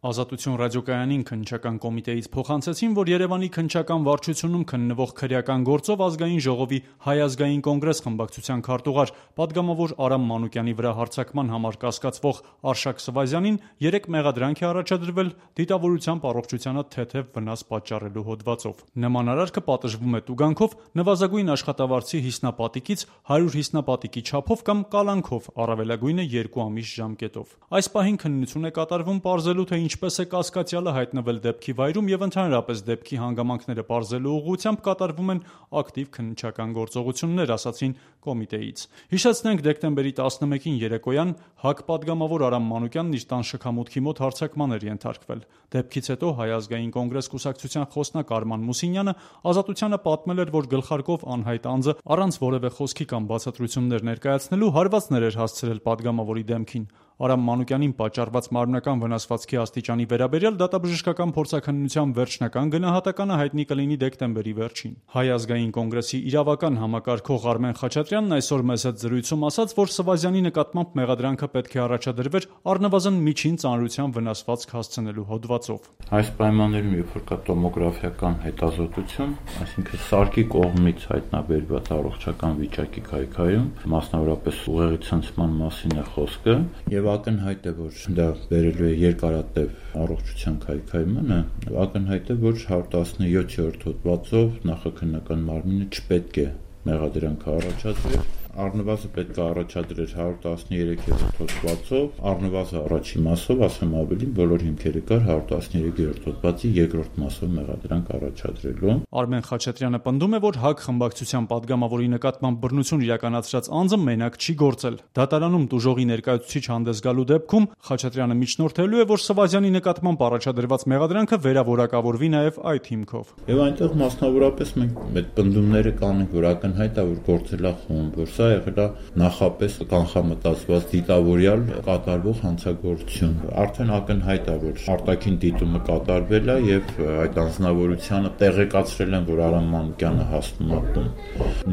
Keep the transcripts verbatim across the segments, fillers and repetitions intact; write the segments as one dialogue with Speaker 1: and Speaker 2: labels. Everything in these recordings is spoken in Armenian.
Speaker 1: Ազատություն ռադիոկայանին քննչական կոմիտեից փոխանցեցին, որ Երևանի քննչական վարչությունում քննվող քրեական գործով Ազգային ժողովի Հայ ազգային կոնգրես խմբակցության քարտուղար, պատգամավոր Արամ Մանուկյանի վրա հարձակման համար կասկածվող Արշակ Սվազյանին երեք մեղադրանք է առաջադրվել դիտավորությամբ առողջությանը թեթև վնաս պատճառելու հոդվածով։ Նման արարքը պատժվում է տուգանքով, նվազագույն աշխատավարձի հիսնապատիկից հարյուր հիսնապատիկի չափով կամ կալանքով, առավելագույնը երկու ամիս ժամկետով։ Այս պահին քննություն է կատարվում պարզելու, թե ինչպես է կասկածյալը հայտնվել դեպքի վայրում եւ ընդհանրապես դեպքի հանգամանքները պարզելու ուղղությամբ կատարվում են ակտիվ քննչական գործողություններ, ասացին կոմիտեից։ Հիշեցնենք, դեկտեմբերի տասնմեկին երեկոյան ՀԱԿ պատգամավոր Արամ Մանուկյանն իր տան շքամուտքի մոտ հարձակման էր ենթարկվել։ Դեպքից հետո Հայ ազգային կոնգրես կուսակցության խոսնակ Արման Մուսինյանը Ազատությանը պատմել էր, որ գլխարկով անհայտ անձը առանց որևէ խոսքի կամ բացատրություններ ներկայացնելու հարվածներ էր հասցրել պատգամավորի դեմքին։ Արամ Մանուկյանին պատճառված մարմնական վնասվածքի աստիճանի վերաբերյալ դատաբժշկական փորձաքննության վերջնական գնահատականը հայտնի կլինի դեկտեմբերի վերջին։ Հայ ազգային կոնգրեսի իրավական համակարգող Արմեն Խաչատրյանն այսօր մեզ հետ զրույցում ասաց, որ Սվազյանի նկատմամբ մեղադրանքը պետք է առաջադրվեր առնվազն միջին ծանրության վնասվածք հասցնելու հոդվածով։
Speaker 2: Այս պայմաններում, երբ որ կա տոմոգրաֆիական հետազոտություն, այսինքն սարքի կողմից հայտնաբերված առողջական վիճակի քայքայում, մասնավորապես ուղեղի ցնցման մասին է խոսքը, եւ ակնհայտ է, որ դա բերելու է երկարատև առողջության քայքայմանը, ակնհայտ է, որ հարյուր տասնյոթերորդ հոդվածով նախաքննական մարմինը չպետք է մեղադրանք առաջադրել, առնվազն պետք է առաջադրել հարյուր տասնյոթերորդ հոդվածով, առնվազն առաջին մասով, ասեմ ավելին, բոլոր հիմքերը կար հարյուր տասնյոթերորդ հոդվածի երկրորդ մասով մեղադրանք առաջադրելու։
Speaker 1: Արմեն Խաչատրյանը պնդում է, որ ՀԱԿ խմբակցության պատգամավորի նկատմամբ բռնություն իրականացրած անձը մենակ չի գործել։ Դատարանում տուժողի ներկայացուցիչ հանդես գալու դեպքում Խաչատրյանը միջնորդելու է, որ Սվազյանի նկատմամբ առաջադրված մեղադրանքը վերավորակավորվի նաև այդ հիմքով։
Speaker 2: Եվ այնտեղ մասնավորապես մենք այդ պնդումները կանենք, որ ակնհայտ է, որ գործել է խումբ, որ սա եղել է նախապես կանխամտածված դիտավորյալ կատարվող հանցագործություն։ Արդեն ակնհայտ է, որ արտաքին դիտումը կատարվել է եւ այդ անձնավորությանը տեղեկացրել են, որ Արամ Մանուկյանը հասնում է տուն։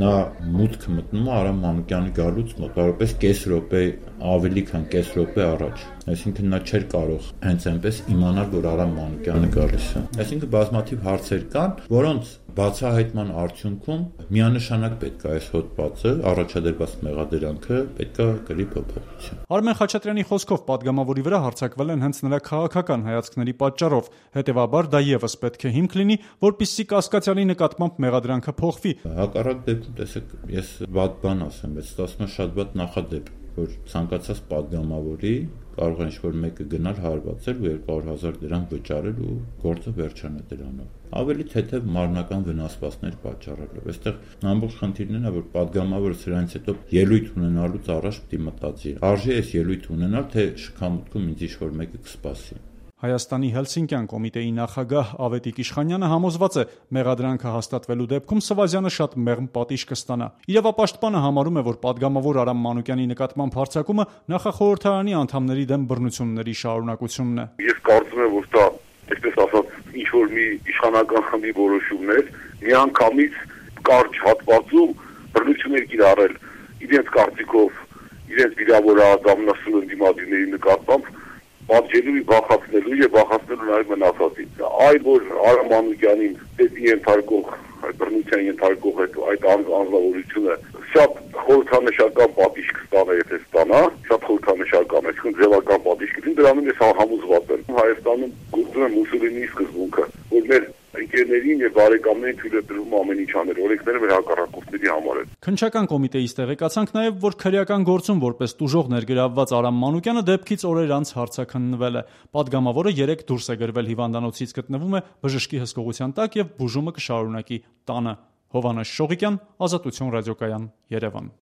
Speaker 2: Նա մուտք մտնում է Արամ Մանուկյանի գալուց մոտավորապես կես րոպե ավելի քան կես րոպե առաջ, այսինքն նա չէր կարող հենց այնպես իմանալ, որ Արամ Մանուկյանը գալիս է։ Այսինքն բազմաթիվ հարցեր կան, որոնց բացահայտման արդյունքում միանշանակ պետք է այս հոդվածը, առաջադրված մեղադրանքը պետք է կրի փոփոխություն։
Speaker 1: Արմեն Խաչատրյանի խոսքով պատգամավորի վրա հարձակվել են հենց նրա քաղաքական հայացքների պատճառով, հետևաբար դա եւս պետք է հիմք լինի, որպեսզի կասկածյալի նկատմամբ մեղադրանքը փոխվի։
Speaker 2: Հակառակ դեպքում, տեսեք, ես վատ բան ասեմ, բայց ստացվում է շատ վատ նախադեպ, որ ցանկացած պատգամավորի կարող է ինչ-որ մեկը գնալ հարվածել ու երկու հարյուր հազար դրամ վճարել ու գործը վերջանա դրանով։ Ավելի թեթև մարմնական վնասվածքներ պատճառելով։ Այստեղ ամբողջ խնդիրն է, որ պատգամավորը սրանից հետո ելույթ ունենալուց առաջ պիտի մտածի. արժի այս ելույթ ունենալ, թե շքամուտքում ինձ ինչ-որ մեկը կսպասի։
Speaker 1: Հայաստանի Հելսինկյան կոմիտեի նախագահ Ավետիք Իշխանյանը համոզված է, մեղադրանքը հաստատվելու դեպքում Սվազյանը շատ մեղմ պատիժ կստանա։ Իրավապաշտպանը համարում է, որ պատգամավոր Արամ Մանուկյանի նկատմամբ հարձակումը նախախորհրդարանի անդամների դեմ բռնությունների շարունակությունն է։
Speaker 3: Ես կարծում եմ, որ դա, այսպես ասած, ինչ-որ մի իշխանական խմբի որոշումն է, միանգամից կարճ հատվածում բռնություններ կիրառել իրենց կարծիքով, իրենց վիրավորած ամենասուրն դիմադիրների նկատմամբ պատժելու, բախացնելու եւ բախացնելու նաեւ մնացածին։ Այլ որ Արամ Մանուկյանին դեպի ենթարկող, այդ բռնության ենթարկող այդ այդ անձնավորությունը շատ խորհրդանշական պատիժ կստանա, եթե ստանա, շատ խորհրդանշական, այսինքն ձևական պատիժ կլինի, դրանով ես համոզված եմ։ Հայաստանում գործում է Մուսոլինիի սկզբունքը, որ մեր ընկերներին եւ բարեկամներին թույլ է տրվում ամեն ինչ անել, օրենքները մեր հակառակորդների համար են։
Speaker 1: Քննչական կոմիտեից տեղեկացանք նաեւ, որ քրեական գործում որպես տուժող ներգրավված Արամ Մանուկյանը դեպքից օրեր անց հարձակնվել է։ Պատգամավորը երեք դուրս է գրվել հիվանդանոցից, գտնվում է բժշկի հսկողության տակ եւ բուժումը կշարունակի տանը։ Հովհաննես Շողիկյան, Ազատություն ռադիոկայան, Երևան։